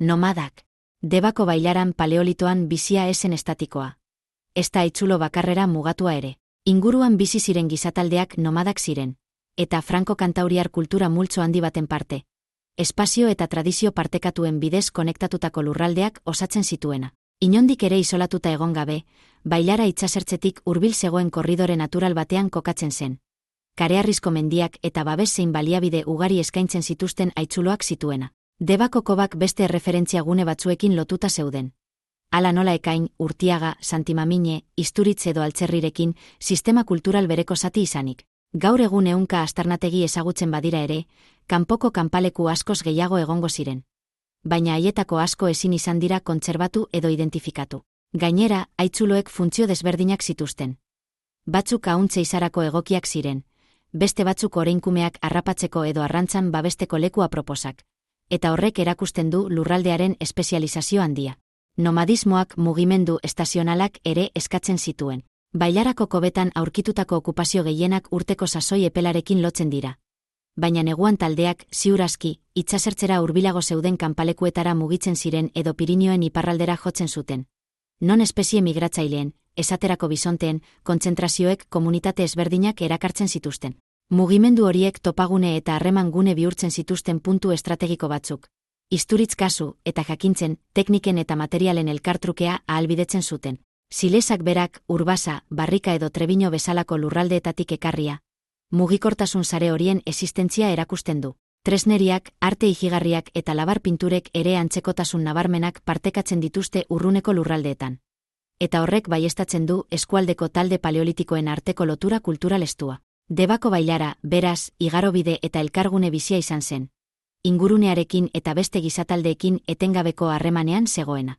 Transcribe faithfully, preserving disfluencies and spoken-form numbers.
Nomadak. Debako bailaran paleolitoan bizia esen estatikoa. Ez da haitzulo bakarrera mugatua ere. Inguruan bizi ziren gizataldeak nomadak ziren, eta franko-kantauriar kultura multzo handi baten parte. Espazio eta tradizio partekatuen bidez konektatutako lurraldeak osatzen zituena. Inondik ere isolatuta egon gabe, bailara itsasertzetik hurbil zegoen korridore natural batean kokatzen zen. Kareharrizko mendiak eta babes zein baliabide ugari eskaintzen zituzten haitzuloak zituena. Debako kobak beste erreferentzia gune batzuekin lotuta zeuden. Hala nola Ekain, Urtiaga, Santimamine, Isturitz edo Altzerrirekin sistema kultural bereko zati izanik. Gaur egun ehunka aztarnategi ezagutzen badira ere, kanpoko kanpaleku askoz gehiago egongo ziren. Baina haietako asko ezin izan dira kontserbatu edo identifikatu. Gainera, haitzuloek funtzio desberdinak zituzten. Batzuk ahuntze izarako egokiak ziren, beste batzuk oreinkumeak harrapatzeko edo arrantzan babesteko leku aproposak. Eta horrek erakusten du lurraldearen espezializazio handia. Nomadismoak mugimendu estazionalak ere eskatzen zituen. Bailarako kobetan aurkitutako okupazio gehienak urteko sasoi epelarekin lotzen dira. Baina neguan taldeak, ziur aski, itsasertzera hurbilago zeuden kanpalekuetara mugitzen ziren edo Pirinioen iparraldera jotzen zuten. Non espezie migratzaileen, esaterako bisonteen, kontzentrazioek komunitate ezberdinak erakartzen zituzten. Mugimendu horiek topagune eta harreman gune bihurtzen zituzten puntu estrategiko batzuk. Isturitz kasu eta jakintzen, tekniken eta materialen elkartrukea ahalbidetzen zuten. Silesak berak, Urbasa, Barrika edo Trebino bezalako lurraldeetatik ekarria. Mugikortasun sare horien existentzia erakusten du. Tresneriak, arte ijigarriak eta labar pinturek ere antzekotasun nabarmenak partekatzen dituzte urruneko lurraldeetan. Eta horrek baiestatzen du eskualdeko talde paleolitikoen arteko lotura kultural estua. Debako bailara, beraz, igarobide eta elkargune bizia izan zen. Ingurunearekin eta beste gizataldeekin etengabeko harremanean zegoena.